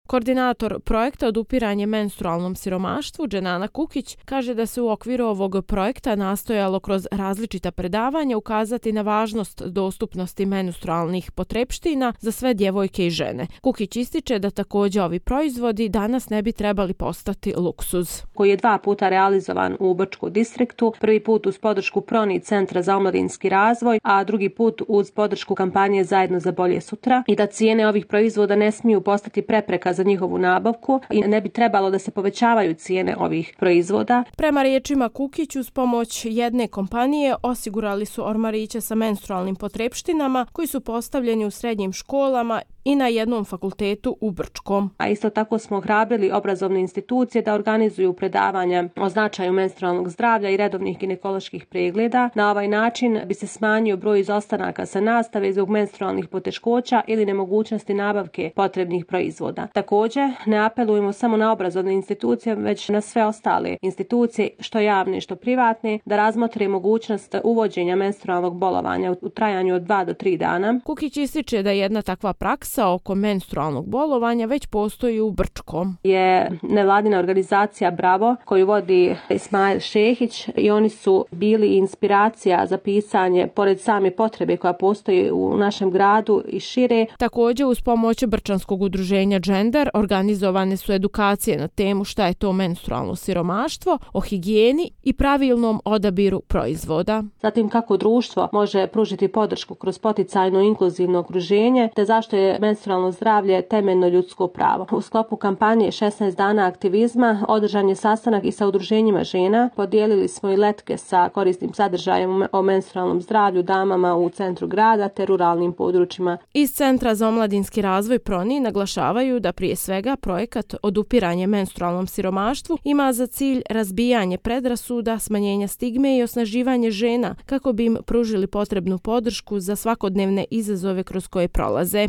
Koordinator projekta Odupiranje menstrualnom siromaštvu, Dženana Kukić, kaže da se u okviru ovog projekta nastojalo kroz različita predavanja ukazati na važnost dostupnosti menstrualnih potrepština za sve djevojke i žene. Kukić ističe da također ovi proizvodi danas ne bi trebali postati luksuz. Koji je 2 puta realizovan u Brčkom distriktu, prvi put uz podršku PRONI Centra za omladinski razvoj, a drugi put uz podršku kampanje Zajedno za bolje sutra, i da cijene ovih proizvoda ne smiju postati prepreka za njihovu nabavku i ne bi trebalo da se povećavaju cijene ovih proizvoda. Prema riječima Kukić, uz pomoć jedne kompanije osigurali su ormariće sa menstrualnim potrepštinama koji su postavljeni u srednjim školama i na jednom fakultetu u Brčkom. A isto tako smo ohrabrili obrazovne institucije da organizuju predavanja o značaju menstrualnog zdravlja i redovnih ginekoloških pregleda. Na ovaj način bi se smanjio broj izostanaka sa nastave zbog menstrualnih poteškoća ili nemogućnosti nabavke potrebnih proizvoda. Također, ne apelujemo samo na obrazovne institucije, već na sve ostale institucije, što javne, što privatne, da razmotre mogućnost uvođenja menstrualnog bolovanja u trajanju od 2 do 3 dana. Kukić ističe da jedna takva praksa oko menstrualnog bolovanja već postoji u Brčkom. Je nevladina organizacija Bravo koju vodi Ismail Šehić i oni su bili inspiracija za pisanje, pored same potrebe koja postoji u našem gradu i šire. Također, uz pomoć Brčanskog udruženja Gender organizovane su edukacije na temu šta je to menstrualno siromaštvo, o higijeni i pravilnom odabiru proizvoda. Zatim kako društvo može pružiti podršku kroz poticajno inkluzivno okruženje, te zašto je menstrualno zdravlje temeljno ljudsko pravo. U sklopu kampanje 16 dana aktivizma održan je sastanak i sa udruženjima žena. Podijelili smo i letke sa korisnim sadržajem o menstrualnom zdravlju damama u centru grada te ruralnim područjima. Iz Centra za omladinski razvoj PRONI naglašavaju da prije svega projekat Odupiranje menstrualnom siromaštvu ima za cilj razbijanje predrasuda, smanjenja stigme i osnaživanje žena kako bi im pružili potrebnu podršku za svakodnevne izazove kroz koje prolaze.